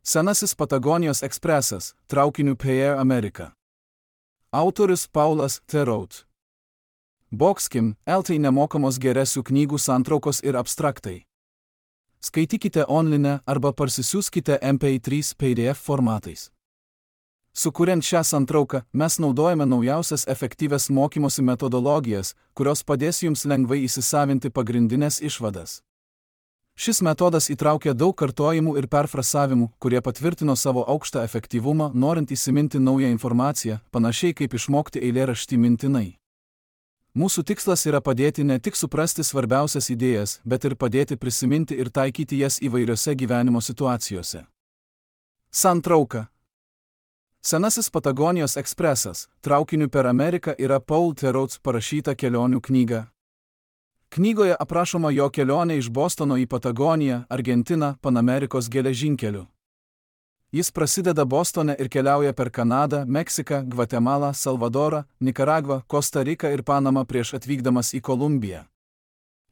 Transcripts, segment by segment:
Senasis Patagonijos ekspresas, traukiniu per Ameriką. Autorius Paulas Theroux. Boxkim, LT nemokamos geresių knygų santraukos ir abstraktai. Skaitykite online arba parsisiųskite MP3 PDF formatais. Sukuriant šią santrauką, mes naudojame naujausias efektyvias mokymosi metodologijas, kurios padės jums lengvai įsisavinti pagrindinės išvadas. Šis metodas įtraukia daug kartojimų ir perfrasavimų, kurie patvirtino savo aukštą efektyvumą, norint įsiminti naują informaciją, panašiai kaip išmokti eilėraštį mintinai. Mūsų tikslas yra padėti ne tik suprasti svarbiausias idėjas, bet ir padėti prisiminti ir taikyti jas įvairiose gyvenimo situacijose. Santrauka. Senasis Patagonijos ekspresas, traukiniu per Ameriką yra Paul Theroux parašyta kelionių knyga. Knygoje aprašoma jo kelionė iš Bostono į Patagoniją, Argentiną, Panamerikos geležinkeliu. Jis prasideda Bostone ir keliauja per Kanadą, Meksiką, Gvatemalą, Salvadorą, Nikaragvą, Kosta Riką ir Panamą prieš atvykdamas į Kolumbiją.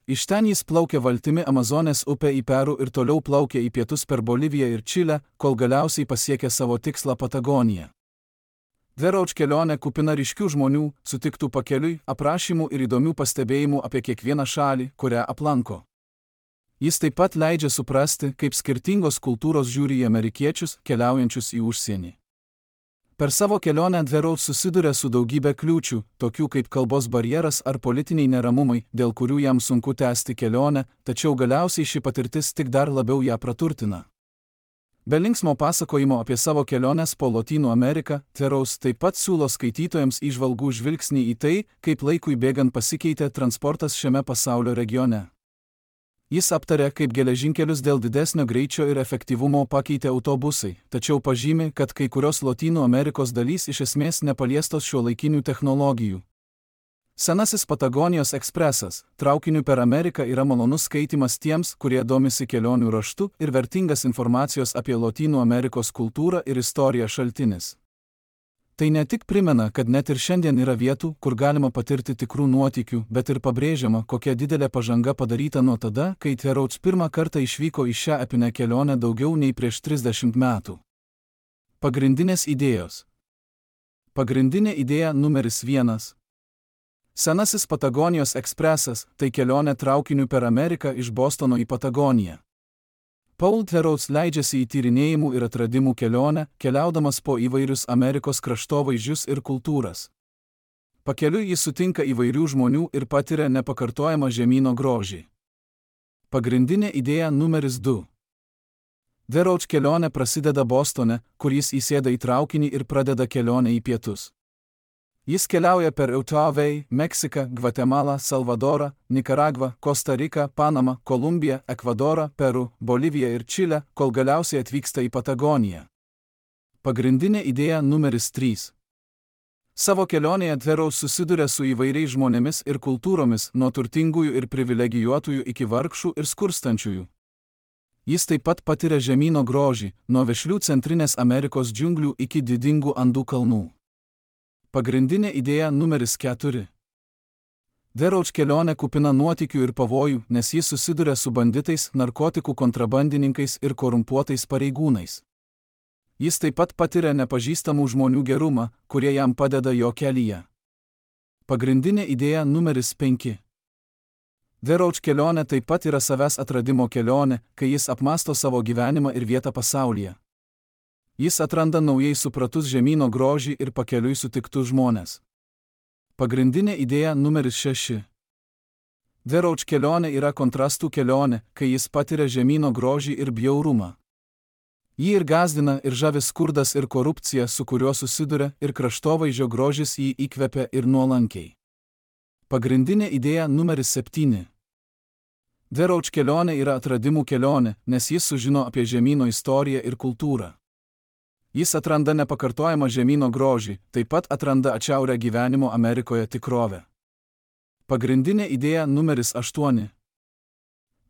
Iš ten jis plaukia valtimi Amazonės upę į Peru ir toliau plaukia į pietus per Boliviją ir Čilę, kol galiausiai pasiekia savo tikslą Patagoniją. Theroux kelionė kupina ryškių žmonių, sutiktų pakeliui, aprašymų ir įdomių pastebėjimų apie kiekvieną šalį, kurią aplanko. Jis taip pat leidžia suprasti, kaip skirtingos kultūros žiūri į amerikiečius, keliaujančius į užsienį. Per savo kelionę Theroux susiduria su daugybė kliūčių, tokių kaip kalbos barjeras ar politiniai neramumai, dėl kurių jam sunku tęsti kelionę, tačiau galiausiai ši patirtis tik dar labiau ją praturtina. Be linksmo pasakojimo apie savo keliones po Lotynų Ameriką, Theroux taip pat siūlo skaitytojams įžvalgų žvilgsnį į tai, kaip laikui bėgant pasikeitė transportas šiame pasaulio regione. Jis aptarė, kaip geležinkelius dėl didesnio greičio ir efektyvumo pakeitė autobusai, tačiau pažymi, kad kai kurios Lotynų Amerikos dalys iš esmės nepaliestos šiuolaikinių technologijų. Senasis Patagonijos ekspresas, traukiniu per Ameriką yra malonus skaitimas tiems, kurie domisi kelionių raštu ir vertingas informacijos apie Lotynų Amerikos kultūrą ir istoriją šaltinis. Tai ne tik primena, kad net ir šiandien yra vietų, kur galima patirti tikrų nuotykių, bet ir pabrėžiama, kokia didelė pažanga padaryta nuo tada, kai Theroux pirmą kartą išvyko į šią epinę kelionę daugiau nei prieš 30 metų. Pagrindinės idėjos. Pagrindinė idėja numeris 1. Senasis Patagonijos ekspresas – tai kelionė traukiniu per Ameriką iš Bostono į Patagoniją. Paul Theroux leidžiasi į tyrinėjimų ir atradimų kelionę, keliaudamas po įvairius Amerikos kraštovaizdžius ir kultūras. Pakeliui jis sutinka įvairių žmonių ir patiria nepakartojamą žemyno grožį. Pagrindinė idėja numeris 2. Theroux kelionė prasideda Bostone, kur jis įsėda į traukinį ir pradeda kelionę į pietus. Jis keliauja per Eutavei, Meksiką, Gvatemalą, Salvadorą, Nikaragvą, Kosta Riką, Panamą, Kolumbiją, Ekvadorą, Peru, Boliviją ir Čilę, kol galiausiai atvyksta į Patagoniją. Pagrindinė idėja numeris 3. Savo kelionėje Theroux susiduria su įvairiais žmonėmis ir kultūromis, nuo turtingųjų ir privilegijuotųjų iki vargšų ir skurstančiųjų. Jis taip pat patiria žemyno grožį, nuo vešlių Centrinės Amerikos džiunglių iki didingų Andų kalnų. Pagrindinė idėja numeris 4. Theroux kelionė kupina nuotykių ir pavojų, nes jis susiduria su banditais, narkotikų kontrabandininkais ir korumpuotais pareigūnais. Jis taip pat patiria nepažįstamų žmonių gerumą, kurie jam padeda jo kelyje. Pagrindinė idėja numeris 5. Theroux kelionė taip pat yra savęs atradimo kelionė, kai jis apmąsto savo gyvenimą ir vietą pasaulyje. Jis atranda naujai supratus žemyno grožį ir pakeliui sutiktus žmonės. Pagrindinė idėja numeris 6. Theroux kelionė yra kontrastų kelionė, kai jis patiria žemyno grožį ir bjaurumą. Jį ir gąsdina ir žavi skurdas ir korupcija, su kuriuo susiduria, ir kraštovaizdžio grožis jį įkvepia ir nuolankiai. Pagrindinė idėja numeris 7. Theroux kelionė yra atradimų kelionė, nes jis sužino apie žemyno istoriją ir kultūrą. Jis atranda nepakartojamą žemyno grožį, taip pat atranda atšiaurią gyvenimo Amerikoje tikrovę. Pagrindinė idėja numeris 8.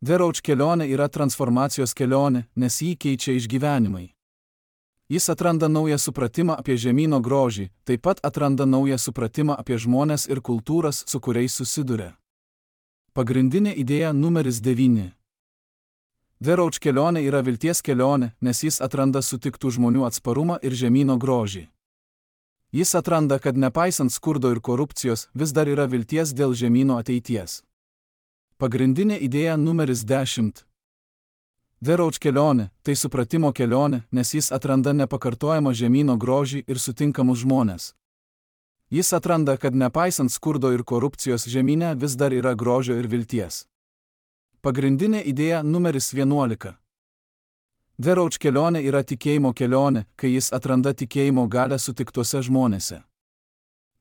Theroux kelionė yra transformacijos kelionė, nes jį keičia išgyvenimai. Jis atranda naują supratimą apie žemyno grožį, taip pat atranda naują supratimą apie žmones ir kultūras, su kuriais susiduria. Pagrindinė idėja numeris 9. The Roach kelionė yra vilties kelionė, nes jis atranda sutiktų žmonių atsparumą ir žemyno grožį. Jis atranda, kad nepaisant skurdo ir korupcijos, vis dar yra vilties dėl žemyno ateities. Pagrindinė idėja numeris 10. The Roach kelionė – tai supratimo kelionė, nes jis atranda nepakartojamą žemyno grožį ir sutinkamus žmones. Jis atranda, kad nepaisant skurdo ir korupcijos žemyne vis dar yra grožio ir vilties. Pagrindinė idėja numeris 11. The Roach kelionė yra tikėjimo kelionė, kai jis atranda tikėjimo galią sutiktuose žmonėse.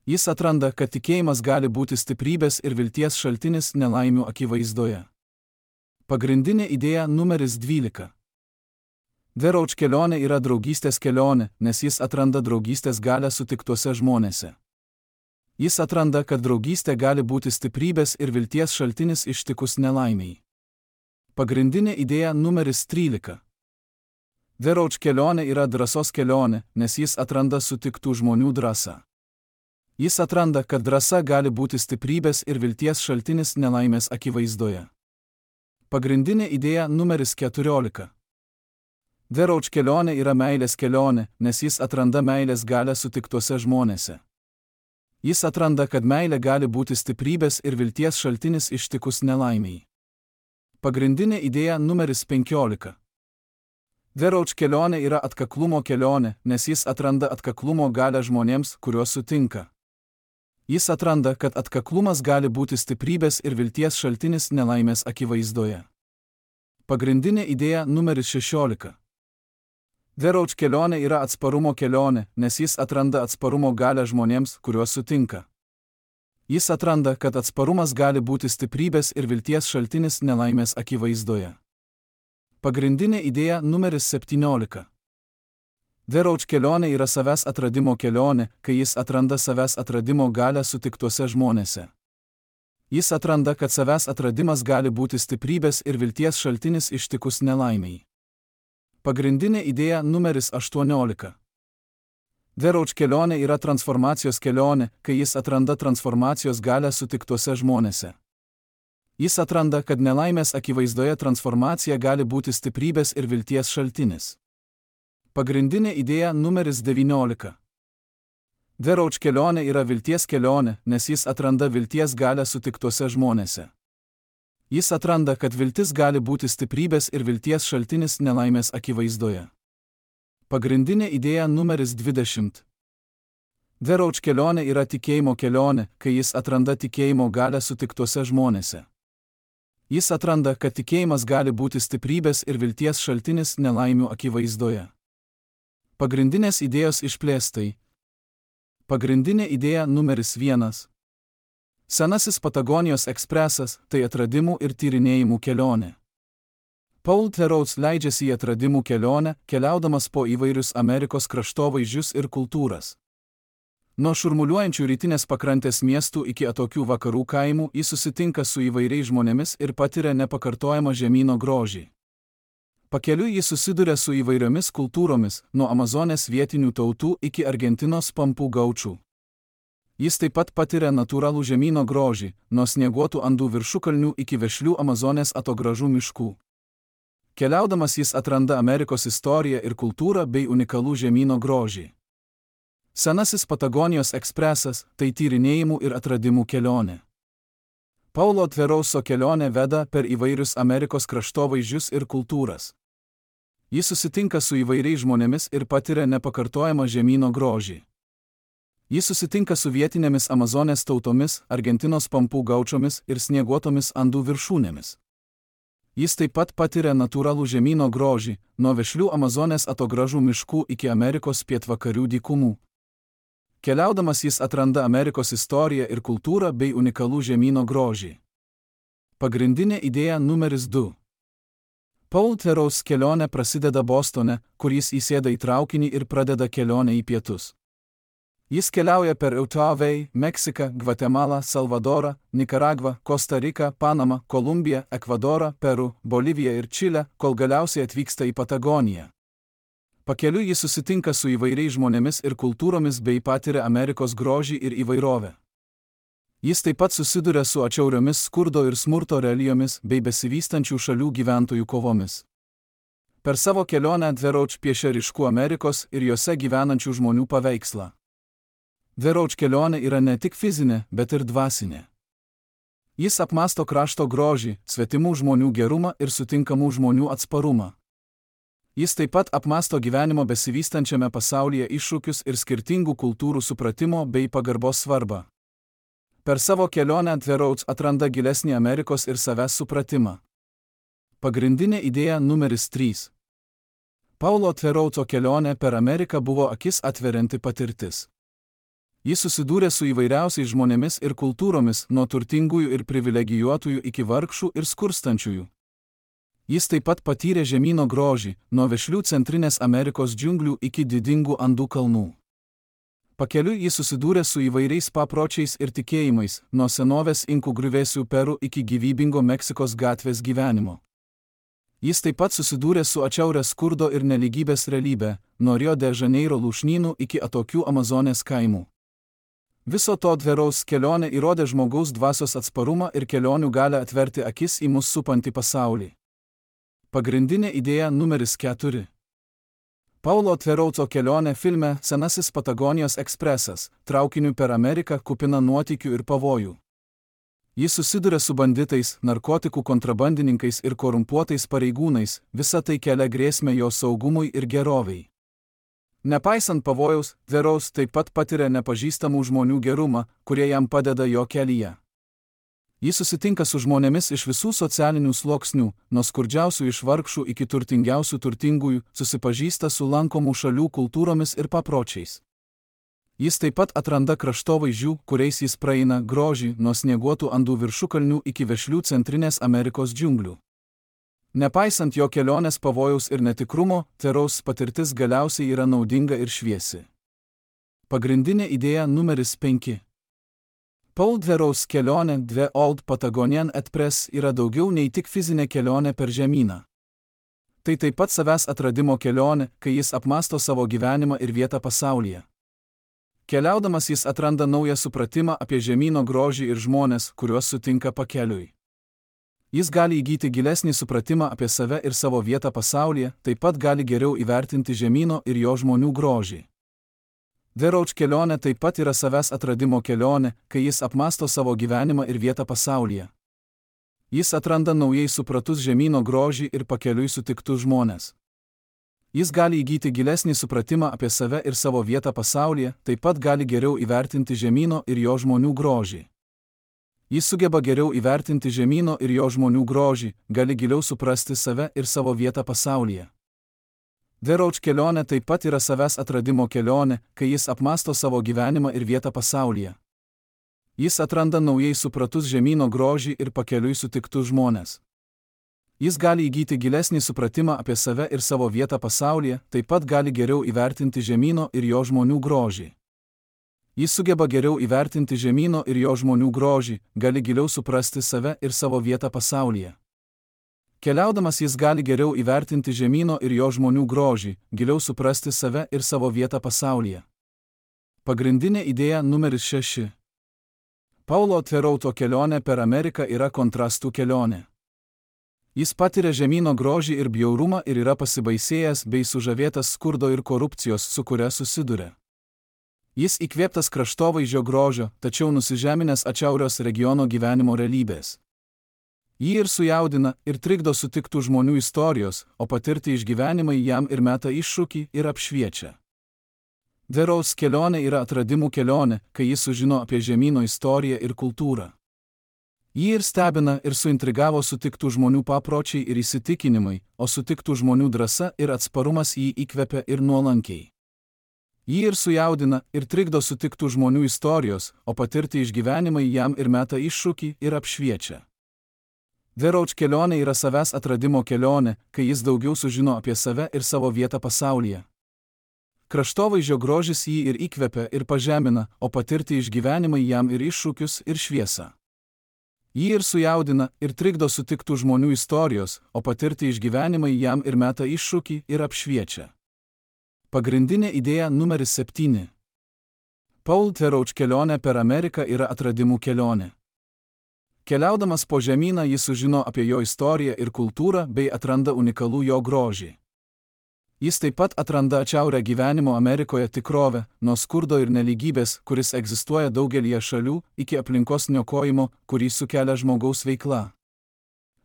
Jis atranda, kad tikėjimas gali būti stiprybės ir vilties šaltinis nelaimių akivaizdoje. Pagrindinė idėja numeris 12. The Roach kelionė yra draugystės kelionė, nes jis atranda draugystės galią sutiktuose žmonėse. Jis atranda, kad draugystė gali būti stiprybės ir vilties šaltinis ištikus nelaimiai. Pagrindinė idėja numeris 13. The Roach kelionė yra drąsos kelionė, nes jis atranda sutiktų žmonių drąsą. Jis atranda, kad drąsa gali būti stiprybės ir vilties šaltinis nelaimės akivaizdoje. Pagrindinė idėja numeris 14. The Roach kelionė yra meilės kelionė, nes jis atranda meilės galią sutiktuose žmonėse. Jis atranda, kad meilė gali būti stiprybės ir vilties šaltinis ištikus nelaimiai. Pagrindinė idėja numeris 15. The Roach kelionė yra atkaklumo kelionė, nes jis atranda atkaklumo galią žmonėms, kuriuos sutinka. Jis atranda, kad atkaklumas gali būti stiprybės ir vilties šaltinis nelaimės akivaizdoje. Pagrindinė idėja numeris 16. The Roach kelionė yra atsparumo kelionė, nes jis atranda atsparumo galią žmonėms, kuriuos sutinka. Jis atranda, kad atsparumas gali būti stiprybės ir vilties šaltinis nelaimės akivaizdoje. Pagrindinė idėja numeris 17. The Roach kelionė yra savęs atradimo kelionė, kai jis atranda savęs atradimo galią sutiktuose žmonėse. Jis atranda, kad savęs atradimas gali būti stiprybės ir vilties šaltinis ištikus nelaimiai. Pagrindinė idėja numeris 18. The Roach kelionė yra transformacijos kelionė, kai jis atranda transformacijos galią sutiktuose žmonėse. Jis atranda, kad nelaimės akivaizdoje transformacija gali būti stiprybės ir vilties šaltinis. Pagrindinė idėja numeris 19. The Roach kelionė yra vilties kelionė, nes jis atranda vilties galią sutiktuose žmonėse. Jis atranda, kad viltis gali būti stiprybės ir vilties šaltinis nelaimės akivaizdoje. Pagrindinė idėja numeris 20. The Roach kelionė yra tikėjimo kelionė, kai jis atranda tikėjimo galią sutiktuose žmonėse. Jis atranda, kad tikėjimas gali būti stiprybės ir vilties šaltinis nelaimių akivaizdoje. Pagrindinės idėjos išplėstai. Pagrindinė idėja numeris 1. Senasis Patagonijos ekspresas – tai atradimų ir tyrinėjimų kelionė. Paul Theroux leidžiasi į atradimų kelionę, keliaudamas po įvairius Amerikos kraštovaizdžius ir kultūras. Nuo šurmuliuojančių rytinės pakrantės miestų iki atokių vakarų kaimų jis susitinka su įvairiais žmonėmis ir patiria nepakartojamą žemyno grožį. Pakeliui jis susiduria su įvairiomis kultūromis, nuo Amazonės vietinių tautų iki Argentinos pampų gaučų. Jis taip pat patiria natūralų žemyno grožį, nuo snieguotų Andų viršukalnių iki vešlių Amazonės atogražų miškų. Keliaudamas jis atranda Amerikos istoriją ir kultūrą bei unikalų žemyno grožį. Senasis Patagonijos ekspresas – tai tyrinėjimų ir atradimų kelionė. Paulo Therouxo kelionė veda per įvairius Amerikos kraštovaizdžius ir kultūras. Jis susitinka su įvairiais žmonėmis ir patiria nepakartojamą žemyno grožį. Jis susitinka su vietinėmis Amazonės tautomis, Argentinos pampų gaučomis ir snieguotomis Andų viršūnėmis. Jis taip pat patiria natūralų žemyno grožį, nuo vešlių Amazonės atogražų miškų iki Amerikos pietvakarių dykumų. Keliaudamas jis atranda Amerikos istoriją ir kultūrą bei unikalų žemyno grožį. Pagrindinė idėja numeris 2. Paul Theroux kelionė prasideda Bostone, kur jis įsėda į traukinį ir pradeda kelionę į pietus. Jis keliauja per Eutavei, Meksiką, Gvatemalą, Salvadorą, Nikaragvą, Kosta Riką, Panamą, Kolumbiją, Ekvadorą, Peru, Boliviją ir Čilę, kol galiausiai atvyksta į Patagoniją. Pakeliui jis susitinka su įvairiais žmonėmis ir kultūromis bei patiria Amerikos grožį ir įvairovę. Jis taip pat susiduria su atšiauriomis skurdo ir smurto realijomis bei besivystančių šalių gyventojų kovomis. Per savo kelionę Dverauch piešia ryškų Amerikos ir jose gyvenančių žmonių paveikslą. Dverauch kelionė yra ne tik fizinė, bet ir dvasinė. Jis apmąsto krašto grožį, svetimų žmonių gerumą ir sutinkamų žmonių atsparumą. Jis taip pat apmąsto gyvenimo besivystančiame pasaulyje iššūkius ir skirtingų kultūrų supratimo bei pagarbos svarbą. Per savo kelionę Dverauch atranda gilesnį Amerikos ir savęs supratimą. Pagrindinė idėja numeris 3. Paulo Dveraucho kelionė per Ameriką buvo akis atverianti patirtis. Jis susidūrė su įvairiausiais žmonėmis ir kultūromis, nuo turtingųjų ir privilegijuotųjų iki vargšų ir skurstančiųjų. Jis taip pat patyrė žemyno grožį, nuo vešlių Centrinės Amerikos džiunglių iki didingų Andų kalnų. Pakeliui jis susidūrė su įvairiais papročiais ir tikėjimais, nuo senovės inkų griuvėsių Peru iki gyvybingo Meksikos gatvės gyvenimo. Jis taip pat susidūrė su atšiauria skurdo ir nelygybės realybė, nuo Rio de Žaneiro lūšnynų iki atokių Amazonės kaimų. Viso to Dverauch kelionė įrodė žmogaus dvasios atsparumą ir kelionių gali atverti akis į mus supantį pasaulį. Pagrindinė idėja numeris 4. Paulo Dveraucho kelionė filme Senasis Patagonijos ekspresas, traukiniu per Ameriką kupina nuotykių ir pavojų. Jis susiduria su banditais, narkotikų kontrabandininkais ir korumpuotais pareigūnais, visa tai kelia grėsmę jo saugumui ir gerovei. Nepaisant pavojaus, Dverauch taip pat patiria nepažįstamų žmonių gerumą, kurie jam padeda jo kelyje. Jis susitinka su žmonėmis iš visų socialinių sluoksnių, nuo skurdžiausių iš vargšų iki turtingiausių turtingųjų, susipažįsta su lankomų šalių kultūromis ir papročiais. Jis taip pat atranda kraštovaizdžių, kuriais jis praeina grožį, nuo snieguotų Andų viršukalnių iki vešlių Centrinės Amerikos džiunglių. Nepaisant jo kelionės pavojaus ir netikrumo, Dverauch patirtis galiausiai yra naudinga ir šviesi. Pagrindinė idėja numeris 5. Paul Dverauch kelionė The Old Patagonian Express yra daugiau nei tik fizinė kelionė per žemyną. Tai taip pat savęs atradimo kelionė, kai jis apmąsto savo gyvenimą ir vietą pasaulyje. Keliaudamas jis atranda naują supratimą apie žemyno grožį ir žmones, kuriuos sutinka pakeliui. Jis gali įgyti gilesnį supratimą apie save ir savo vietą pasaulyje, taip pat gali geriau įvertinti žemyno ir jo žmonių grožį. Dverauch kelionė taip pat yra savęs atradimo kelionė, kai jis apmąsto savo gyvenimą ir vietą pasaulyje. Jis atranda naujai supratus žemyno grožį ir pakeliui sutiktus žmones. Jis gali įgyti gilesnį supratimą apie save ir savo vietą pasaulyje, taip pat gali geriau įvertinti žemyno ir jo žmonių grožį. Jis sugeba geriau įvertinti žemyno ir jo žmonių grožį, gali giliau suprasti save ir savo vietą pasaulyje. Dverauch kelionė taip pat yra savęs atradimo kelionė, kai jis apmąsto savo gyvenimą ir vietą pasaulyje. Jis atranda naujai supratus žemyno grožį ir pakeliui sutiktus žmones. Jis gali įgyti gilesnį supratimą apie save ir savo vietą pasaulyje, taip pat gali geriau įvertinti žemyno ir jo žmonių grožį. Jis sugeba geriau įvertinti žemyno ir jo žmonių grožį, gali giliau suprasti save ir savo vietą pasaulyje. Keliaudamas jis gali geriau įvertinti žemyno ir jo žmonių grožį, giliau suprasti save ir savo vietą pasaulyje. Pagrindinė idėja numeris 6. Paulo Dveraucho kelionė per Ameriką yra kontrastų kelionė. Jis patiria žemyno grožį ir bjaurumą ir yra pasibaisėjęs bei sužavėtas skurdo ir korupcijos, su kuria susiduria. Jis įkvėptas kraštovaizdžio grožio, tačiau nusižeminęs atšiaurios regiono gyvenimo realybės. Jį ir sujaudina, ir trikdo sutiktų žmonių istorijos, o patirti išgyvenimai jam ir meta iššūkį ir apšviečia. Dverauch kelionė yra atradimų kelionė, kai jis sužino apie žemyno istoriją ir kultūrą. Jį ir stebina ir suintrigavo sutiktų žmonių papročiai ir įsitikinimai, o sutiktų žmonių drąsa ir atsparumas jį įkvepia ir nuolankiai. Jį ir sujaudina, ir trikdo sutiktų žmonių istorijos, o patirti išgyvenimai jam ir meta iššūkį ir apšviečia. Dverauch kelionė yra savęs atradimo kelionė, kai jis daugiau sužino apie save ir savo vietą pasaulyje. Kraštovaizdžio grožis jį ir įkvepia ir pažemina, o patirti išgyvenimai jam ir iššūkius ir šviesą. Jį ir sujaudina, ir trikdo sutiktų žmonių istorijos, o patirti išgyvenimai jam ir meta iššūkį ir apšviečia. Pagrindinė idėja numeris 7. Paul Dverauch kelionė per Ameriką yra atradimų kelionė. Keliaudamas po žemyną jis sužino apie jo istoriją ir kultūrą bei atranda unikalų jo grožį. Jis taip pat atranda atšiaurią gyvenimo Amerikoje tikrovę, nuo skurdo ir nelygybės, kuris egzistuoja daugelyje šalių, iki aplinkos niokojimo, kurį sukelia žmogaus veikla.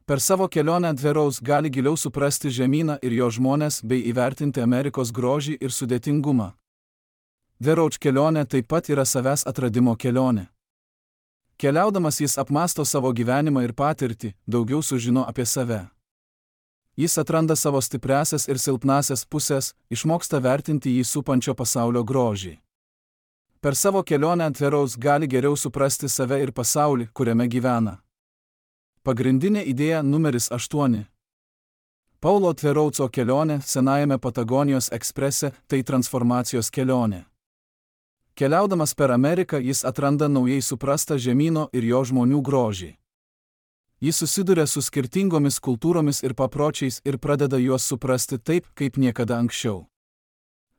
Per savo kelionę Dverouz gali giliau suprasti žemyną ir jo žmones bei įvertinti Amerikos grožį ir sudėtingumą. Dverouz kelionė taip pat yra savęs atradimo kelionė. Keliaudamas jis apmąsto savo gyvenimą ir patirtį, daugiau sužino apie save. Jis atranda savo stipriasias ir silpnasias pusės, išmoksta vertinti jį supančio pasaulio grožį. Per savo kelionę Dverouz gali geriau suprasti save ir pasaulį, kuriame gyvena. Pagrindinė idėja numeris 8. Paulo Dverouzo kelionė senajame Patagonijos eksprese – tai transformacijos kelionė. Keliaudamas per Ameriką jis atranda naujai suprastą žemyno ir jo žmonių grožį. Jis susiduria su skirtingomis kultūromis ir papročiais ir pradeda juos suprasti taip, kaip niekada anksčiau.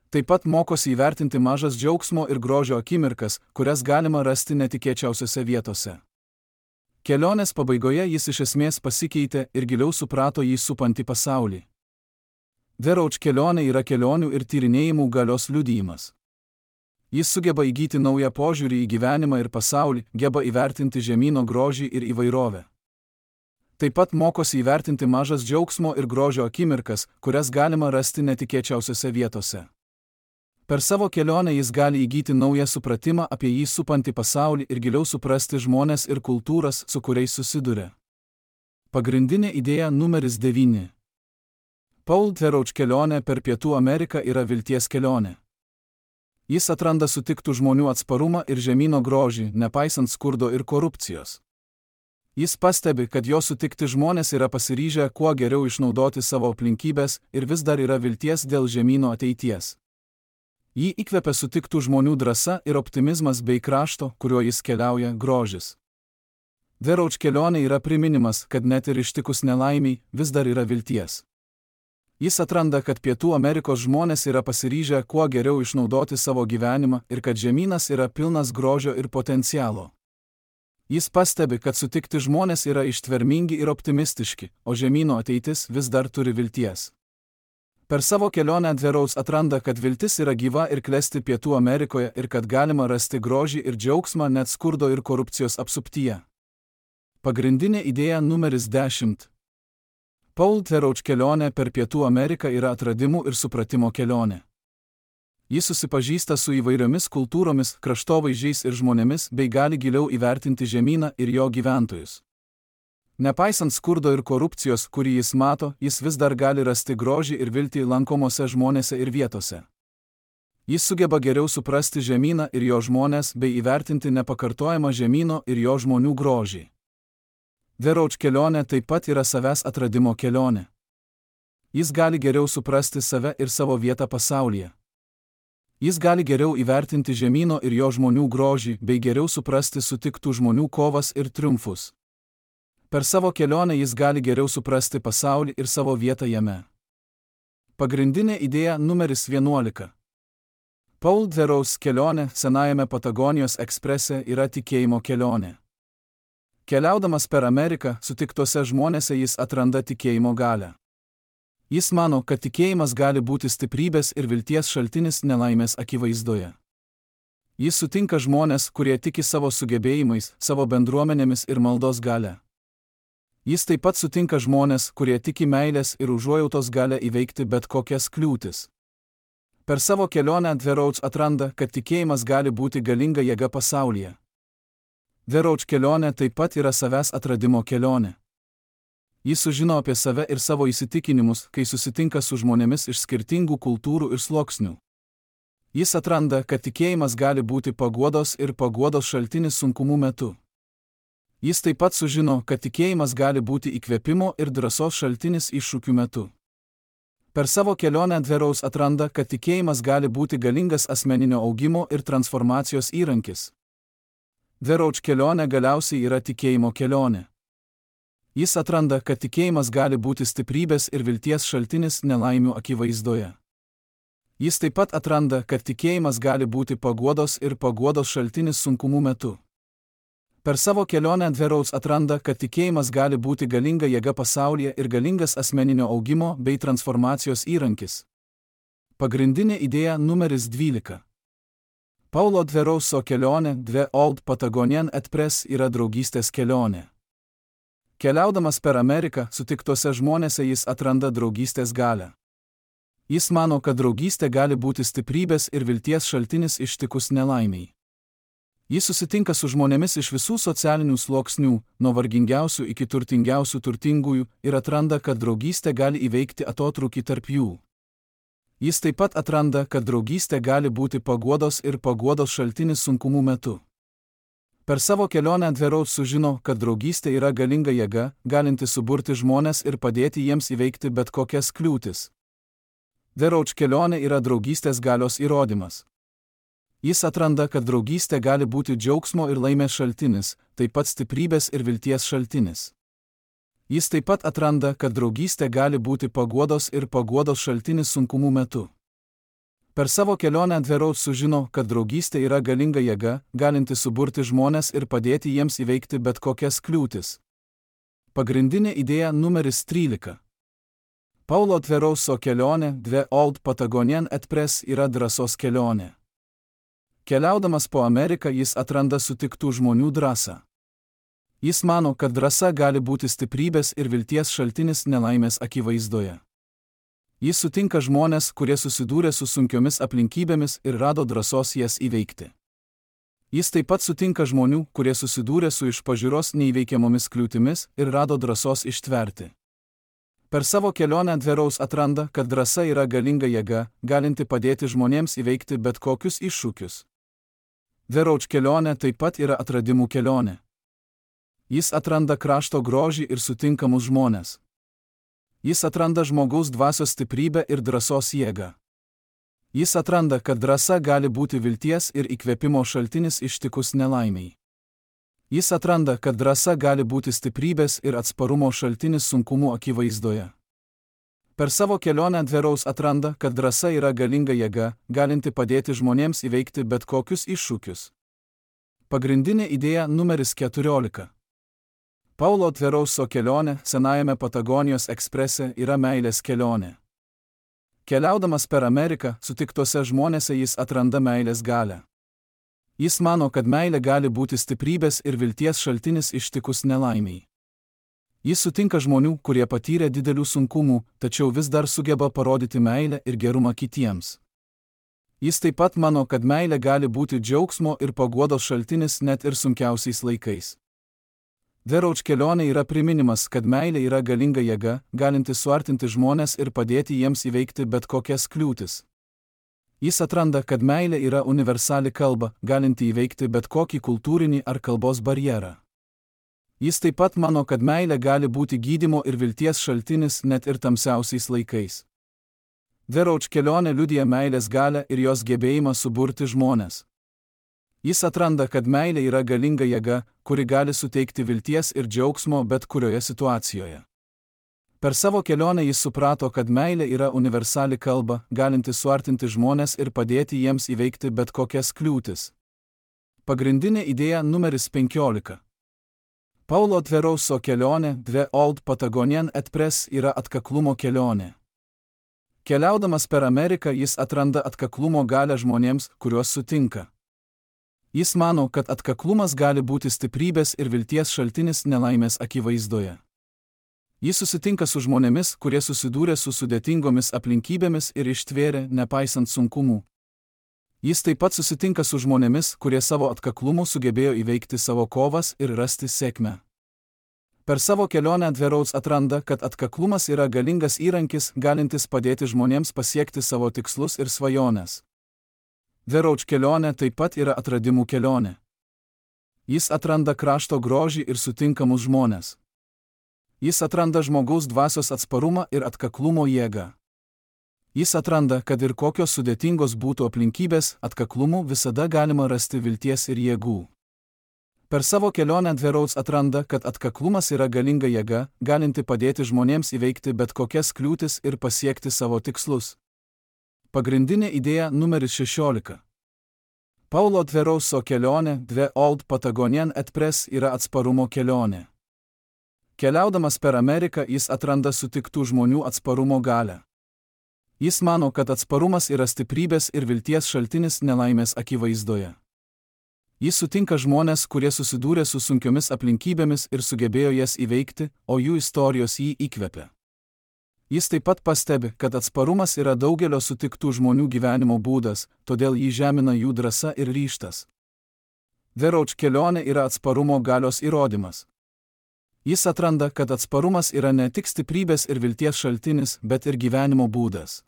Taip pat mokosi įvertinti mažas džiaugsmo ir grožio akimirkas, kurias galima rasti netikėčiausiose vietose. Kelionės pabaigoje jis iš esmės pasikeitė ir giliau suprato jį supantį pasaulį. Dverouz kelionė yra kelionių ir tyrinėjimų galios liudijimas. Jis sugeba įgyti naują požiūrį į gyvenimą ir pasaulį, geba įvertinti žemyno grožį ir įvairovę. Taip pat mokosi įvertinti mažas džiaugsmo ir grožio akimirkas, kurias galima rasti netikėčiausiose vietose. Per savo kelionę jis gali įgyti naują supratimą apie jį supantį pasaulį ir giliau suprasti žmones ir kultūras, su kuriais susiduria. Pagrindinė idėja numeris 9. Paul Dverouz kelionė per Pietų Ameriką yra vilties kelionė. Jis atranda sutiktų žmonių atsparumą ir žemyno grožį, nepaisant skurdo ir korupcijos. Jis pastebi, kad jo sutikti žmonės yra pasiryžę kuo geriau išnaudoti savo aplinkybės ir vis dar yra vilties dėl žemyno ateities. Jį įkvepia sutiktų žmonių drąsa ir optimizmas bei krašto, kuriuo jis keliauja, grožis. Dverouz kelionė yra priminimas, kad net ir ištikus nelaimiai vis dar yra vilties. Jis atranda, kad Pietų Amerikos žmonės yra pasiryžę kuo geriau išnaudoti savo gyvenimą ir kad žemynas yra pilnas grožio ir potencialo. Jis pastebi, kad sutikti žmonės yra ištvermingi ir optimistiški, o žemyno ateitis vis dar turi vilties. Per savo kelionę Dverouz atranda, kad viltis yra gyva ir klesti Pietų Amerikoje ir kad galima rasti grožį ir džiaugsmą net skurdo ir korupcijos apsuptyje. Pagrindinė idėja numeris 10. Paul Dverouz kelionė per Pietų Ameriką yra atradimų ir supratimo kelionė. Jis susipažįsta su įvairiomis kultūromis, kraštovaizdžiais ir žmonėmis bei gali giliau įvertinti žemyną ir jo gyventojus. Nepaisant skurdo ir korupcijos, kurį jis mato, jis vis dar gali rasti grožį ir viltį lankomose žmonėse ir vietose. Jis sugeba geriau suprasti žemyną ir jo žmonės bei įvertinti nepakartojamą žemyno ir jo žmonių grožį. Dverouz kelionė taip pat yra savęs atradimo kelionė. Jis gali geriau suprasti save ir savo vietą pasaulyje. Jis gali geriau įvertinti žemyno ir jo žmonių grožį bei geriau suprasti sutiktų žmonių kovas ir triumfus. Per savo kelionę jis gali geriau suprasti pasaulį ir savo vietą jame. Pagrindinė idėja numeris 11. Paul Dverouz kelionė senajame Patagonijos eksprese yra tikėjimo kelionė. Keliaudamas per Ameriką, sutiktose žmonėse jis atranda tikėjimo galią. Jis mano, kad tikėjimas gali būti stiprybės ir vilties šaltinis nelaimės akivaizdoje. Jis sutinka žmonės, kurie tiki savo sugebėjimais, savo bendruomenėmis ir maldos galia. Jis taip pat sutinka žmonės, kurie tiki meilės ir užuojautos galia įveikti bet kokias kliūtis. Per savo kelionę Dverouz atranda, kad tikėjimas gali būti galinga jėga pasaulyje. Dverouz kelionė taip pat yra savęs atradimo kelionė. Jis sužino apie save ir savo įsitikinimus, kai susitinka su žmonėmis iš skirtingų kultūrų ir sluoksnių. Jis atranda, kad tikėjimas gali būti paguodos ir paguodos šaltinis sunkumų metu. Jis taip pat sužino, kad tikėjimas gali būti įkvėpimo ir drąsos šaltinis iššūkių metu. Per savo kelionę Dverouz atranda, kad tikėjimas gali būti galingas asmeninio augimo ir transformacijos įrankis. Dverouz kelionė galiausiai yra tikėjimo kelionė. Jis atranda, kad tikėjimas gali būti stiprybės ir vilties šaltinis nelaimių akivaizdoje. Jis taip pat atranda, kad tikėjimas gali būti paguodos ir paguodos šaltinis sunkumų metu. Per savo kelionę Dverouz atranda, kad tikėjimas gali būti galinga jėga pasaulyje ir galingas asmeninio augimo bei transformacijos įrankis. Pagrindinė idėja numeris 12. Paulo Dverauso kelionė Dve Old Patagonian Express yra draugystės kelionė. Keliaudamas per Ameriką, sutiktose žmonėse jis atranda draugystės galią. Jis mano, kad draugystė gali būti stiprybės ir vilties šaltinis ištikus nelaimiai. Jis susitinka su žmonėmis iš visų socialinių sluoksnių, nuo vargingiausių iki turtingiausių turtingųjų, ir atranda, kad draugystė gali įveikti atotrūkį tarp jų. Jis taip pat atranda, kad draugystė gali būti paguodos ir paguodos šaltinis sunkumų metu. Per savo kelionę Dveraus sužino, kad draugystė yra galinga jėga, galinti suburti žmones ir padėti jiems įveikti bet kokias kliūtis. Dveraus kelionė yra draugystės galios įrodymas. Jis atranda, kad draugystė gali būti džiaugsmo ir laimės šaltinis, taip pat stiprybės ir vilties šaltinis. Jis taip pat atranda, kad draugystė gali būti paguodos ir paguodos šaltinis sunkumų metu. Per savo kelionę Dveraus sužino, kad draugystė yra galinga jėga, galinti suburti žmones ir padėti jiems įveikti bet kokias kliūtis. Pagrindinė idėja numeris 13. Paulo Dverauso kelionė Dve Old Patagonian Express yra drąsos kelionė. Keliaudamas po Ameriką jis atranda sutiktų žmonių drąsą. Jis mano, kad drąsa gali būti stiprybės ir vilties šaltinis nelaimės akivaizdoje. Jis sutinka žmones, kurie susidūrė su sunkiomis aplinkybėmis ir rado drąsos jas įveikti. Jis taip pat sutinka žmonių, kurie susidūrė su iš pažiūros neįveikiamomis kliūtimis ir rado drąsos ištverti. Per savo kelionę Dveraus atranda, kad drąsa yra galinga jėga, galinti padėti žmonėms įveikti bet kokius iššūkius. Dveraus kelionė taip pat yra atradimų kelionė. Jis atranda krašto grožį ir sutinkamus žmones. Jis atranda žmogaus dvasios stiprybę ir drąsos jėgą. Jis atranda, kad drąsa gali būti vilties ir įkvėpimo šaltinis ištikus nelaimiai. Jis atranda, kad drąsa gali būti stiprybės ir atsparumo šaltinis sunkumų akivaizdoje. Per savo kelionę Dveraus atranda, kad drąsa yra galinga jėga, galinti padėti žmonėms įveikti bet kokius iššūkius. Pagrindinė idėja numeris 14. Paulo Dverauso kelionė senajame Patagonijos eksprese yra meilės kelionė. Keliaudamas per Ameriką, sutiktose žmonėse jis atranda meilės galią. Jis mano, kad meilė gali būti stiprybės ir vilties šaltinis ištikus nelaimiai. Jis sutinka žmonių, kurie patyrė didelių sunkumų, tačiau vis dar sugeba parodyti meilę ir gerumą kitiems. Jis taip pat mano, kad meilė gali būti džiaugsmo ir paguodos šaltinis net ir sunkiausiais laikais. Dveraus kelionė yra priminimas, kad meilė yra galinga jėga, galinti suartinti žmones ir padėti jiems įveikti bet kokias kliūtis. Jis atranda, kad meilė yra universali kalba, galinti įveikti bet kokį kultūrinį ar kalbos barjerą. Jis taip pat mano, kad meilė gali būti gydymo ir vilties šaltinis net ir tamsiausiais laikais. Dveraus kelionė liudija meilės galią ir jos gebėjimą suburti žmones. Jis atranda, kad meilė yra galinga jėga, kuri gali suteikti vilties ir džiaugsmo bet kurioje situacijoje. Per savo kelionę jis suprato, kad meilė yra universali kalba, galinti suartinti žmones ir padėti jiems įveikti bet kokias kliūtis. Pagrindinė idėja numeris 15. Paulo Dverauso kelionė Dve Old Patagonian Express yra atkaklumo kelionė. Keliaudamas per Ameriką jis atranda atkaklumo galią žmonėms, kuriuos sutinka. Jis mano, kad atkaklumas gali būti stiprybės ir vilties šaltinis nelaimės akivaizdoje. Jis susitinka su žmonėmis, kurie susidūrė su sudėtingomis aplinkybėmis ir ištvėrė, nepaisant sunkumų. Jis taip pat susitinka su žmonėmis, kurie savo atkaklumu sugebėjo įveikti savo kovas ir rasti sėkmę. Per savo kelionę Dveraus atranda, kad atkaklumas yra galingas įrankis, galintis padėti žmonėms pasiekti savo tikslus ir svajones. Dveraus kelionė taip pat yra atradimų kelionė. Jis atranda krašto grožį ir sutinkamus žmones. Jis atranda žmogaus dvasios atsparumą ir atkaklumo jėgą. Jis atranda, kad ir kokios sudėtingos būtų aplinkybės, atkaklumu visada galima rasti vilties ir jėgų. Per savo kelionę Dveraus atranda, kad atkaklumas yra galinga jėga, galinti padėti žmonėms įveikti bet kokias kliūtis ir pasiekti savo tikslus. Pagrindinė idėja numeris 16. Paulo Dverauso kelionė Dve Old Patagonian Express yra atsparumo kelionė. Keliaudamas per Ameriką jis atranda sutiktų žmonių atsparumo galią. Jis mano, kad atsparumas yra stiprybės ir vilties šaltinis nelaimės akivaizdoje. Jis sutinka žmonės, kurie susidūrė su sunkiomis aplinkybėmis ir sugebėjo jas įveikti, o jų istorijos jį įkvepia. Jis taip pat pastebi, kad atsparumas yra daugelio sutiktų žmonių gyvenimo būdas, todėl jį žemina jų drąsa ir ryžtas. The Road kelionė yra atsparumo galios įrodymas. Jis atranda, kad atsparumas yra ne tik stiprybės ir vilties šaltinis, bet ir gyvenimo būdas.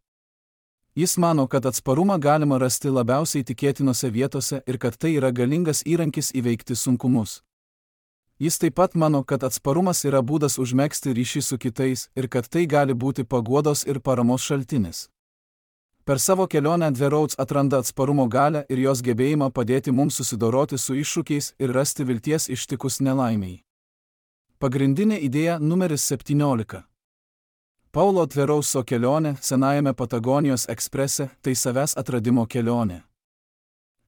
Jis mano, kad atsparumą galima rasti labiausiai tikėtinose vietose ir kad tai yra galingas įrankis įveikti sunkumus. Jis taip pat mano, kad atsparumas yra būdas užmegzti ryšį su kitais ir kad tai gali būti paguodos ir paramos šaltinis. Per savo kelionę The Roads atranda atsparumo galią ir jos gebėjimą padėti mums susidoroti su iššūkiais ir rasti vilties ištikus nelaimiai. Pagrindinė idėja numeris 17. Paulo Tverauso kelionė senajame Patagonijos eksprese – tai savęs atradimo kelionė.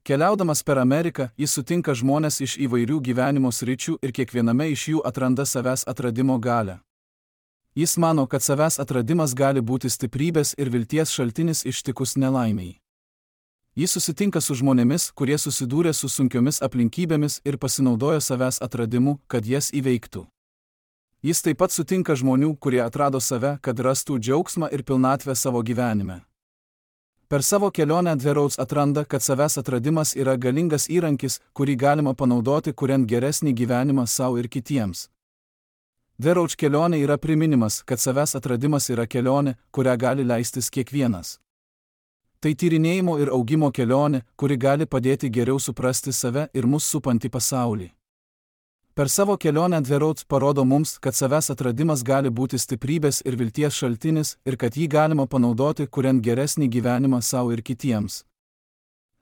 Keliaudamas per Ameriką, jis sutinka žmonės iš įvairių gyvenimo sričių ir kiekviename iš jų atranda savęs atradimo galią. Jis mano, kad savęs atradimas gali būti stiprybės ir vilties šaltinis ištikus nelaimiai. Jis susitinka su žmonėmis, kurie susidūrė su sunkiomis aplinkybėmis ir pasinaudojo savęs atradimu, kad jas įveiktų. Jis taip pat sutinka žmonių, kurie atrado save, kad rastų džiaugsmą ir pilnatvę savo gyvenime. Per savo kelionę The Roads atranda, kad savęs atradimas yra galingas įrankis, kurį galima panaudoti, kuriant geresnį gyvenimą savo ir kitiems. The Roads kelionė yra priminimas, kad savęs atradimas yra kelionė, kurią gali leistis kiekvienas. Tai tyrinėjimo ir augimo kelionė, kuri gali padėti geriau suprasti save ir mus supantį pasaulį. Per savo kelionę The Roads parodo mums, kad savęs atradimas gali būti stiprybės ir vilties šaltinis ir kad jį galima panaudoti, kuriant geresnį gyvenimą savo ir kitiems.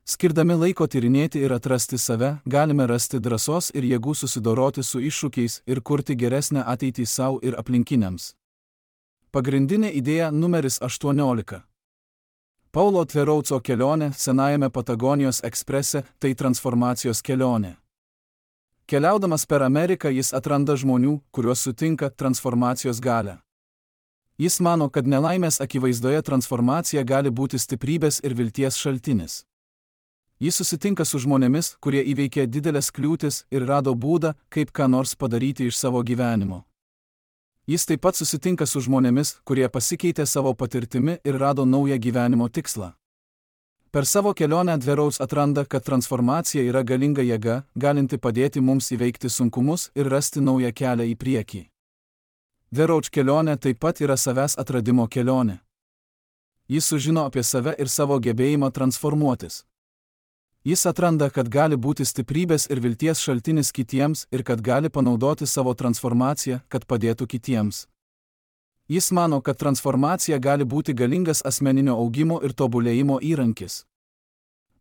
Skirdami laiko tyrinėti ir atrasti save, galime rasti drąsos ir jėgų susidoroti su iššūkiais ir kurti geresnę ateitį savo ir aplinkiniams. Pagrindinė idėja numeris 18. Paulo Tverauso kelionė senajame Patagonijos eksprese – tai transformacijos kelionė. Keliaudamas per Ameriką jis atranda žmonių, kuriuos sutinka transformacijos galią. Jis mano, kad nelaimės akivaizdoje transformacija gali būti stiprybės ir vilties šaltinis. Jis susitinka su žmonėmis, kurie įveikė didelės kliūtis ir rado būdą, kaip ką nors padaryti iš savo gyvenimo. Jis taip pat susitinka su žmonėmis, kurie pasikeitė savo patirtimi ir rado naują gyvenimo tikslą. Per savo kelionę The Roads atranda, kad transformacija yra galinga jėga, galinti padėti mums įveikti sunkumus ir rasti naują kelią į priekį. The Roads kelionė taip pat yra savęs atradimo kelionė. Jis sužino apie save ir savo gebėjimą transformuotis. Jis atranda, kad gali būti stiprybės ir vilties šaltinis kitiems ir kad gali panaudoti savo transformaciją, kad padėtų kitiems. Jis mano, kad transformacija gali būti galingas asmeninio augimo ir tobulėjimo įrankis.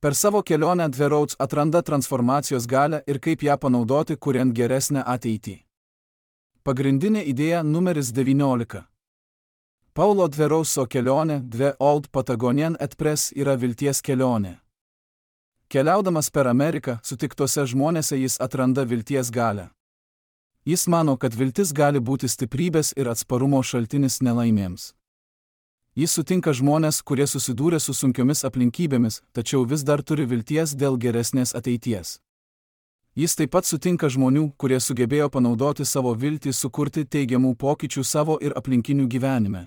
Per savo kelionę The Roads atranda transformacijos galią ir kaip ją panaudoti, kuriant geresnę ateitį. Pagrindinė idėja numeris 19. Paulo Tverauso kelionė The Old Patagonian Express yra vilties kelionė. Keliaudamas per Ameriką, sutiktose žmonėse jis atranda vilties galią. Jis mano, kad viltis gali būti stiprybės ir atsparumo šaltinis nelaimėms. Jis sutinka žmonės, kurie susidūrė su sunkiomis aplinkybėmis, tačiau vis dar turi vilties dėl geresnės ateities. Jis taip pat sutinka žmonių, kurie sugebėjo panaudoti savo viltį sukurti teigiamų pokyčių savo ir aplinkinių gyvenime.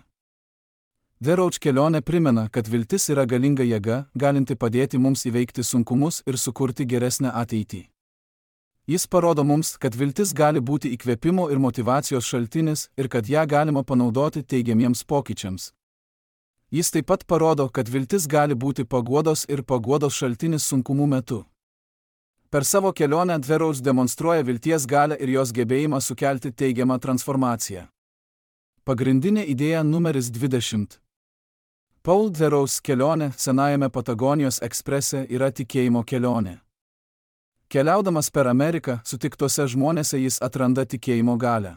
The Roads kelionė primena, kad viltis yra galinga jėga, galinti padėti mums įveikti sunkumus ir sukurti geresnę ateitį. Jis parodo mums, kad viltis gali būti įkvėpimo ir motyvacijos šaltinis ir kad ją galima panaudoti teigiamiems pokyčiams. Jis taip pat parodo, kad viltis gali būti paguodos ir paguodos šaltinis sunkumų metu. Per savo kelionę The Roads demonstruoja vilties galią ir jos gebėjimą sukelti teigiamą transformaciją. Pagrindinė idėja numeris 20. Paul The Roads kelionė senajame Patagonijos eksprese yra tikėjimo kelionė. Keliaudamas per Ameriką, sutiktose žmonėse jis atranda tikėjimo galią.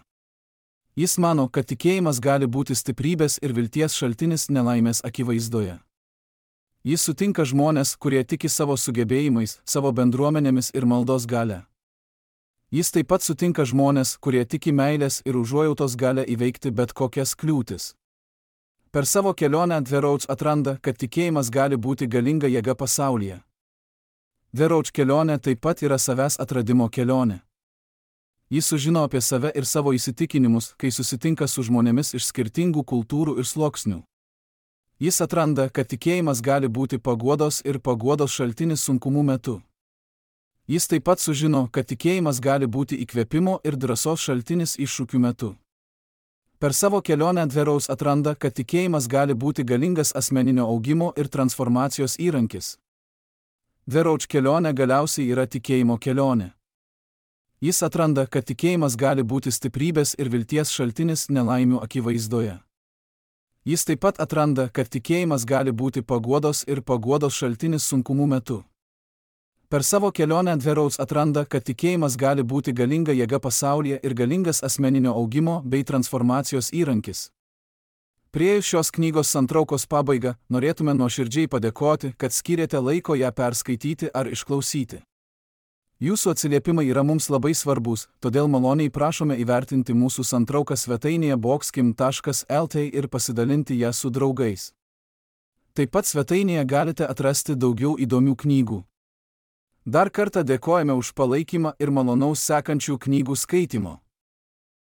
Jis mano, kad tikėjimas gali būti stiprybės ir vilties šaltinis nelaimės akivaizdoje. Jis sutinka žmonės, kurie tiki savo sugebėjimais, savo bendruomenėmis ir maldos galia. Jis taip pat sutinka žmonės, kurie tiki meilės ir užuojautos galia įveikti bet kokias kliūtis. Per savo kelionę The Roach atranda, kad tikėjimas gali būti galinga jėga pasaulyje. The Roach kelionė taip pat yra savęs atradimo kelionė. Jis sužino apie save ir savo įsitikinimus, kai susitinka su žmonėmis iš skirtingų kultūrų ir sluoksnių. Jis atranda, kad tikėjimas gali būti paguodos ir paguodos šaltinis sunkumų metu. Jis taip pat sužino, kad tikėjimas gali būti įkvėpimo ir drąsos šaltinis iššūkių metu. Per savo kelionę The Roach atranda, kad tikėjimas gali būti galingas asmeninio augimo ir transformacijos įrankis. The Roach kelionė galiausiai yra tikėjimo kelionė. Jis atranda, kad tikėjimas gali būti stiprybės ir vilties šaltinis nelaimių akivaizdoje. Jis taip pat atranda, kad tikėjimas gali būti paguodos ir paguodos šaltinis sunkumų metu. Per savo kelionę The Roach atranda, kad tikėjimas gali būti galinga jėga pasaulyje ir galingas asmeninio augimo bei transformacijos įrankis. Priėjus šios knygos santraukos pabaigą, norėtume nuoširdžiai padėkoti, kad skyrėte laiko ją perskaityti ar išklausyti. Jūsų atsiliepimai yra mums labai svarbus, todėl maloniai prašome įvertinti mūsų santrauką svetainėje boxkim.lt ir pasidalinti ją su draugais. Taip pat svetainėje galite atrasti daugiau įdomių knygų. Dar kartą dėkojame už palaikymą ir malonaus sekančių knygų skaitimo.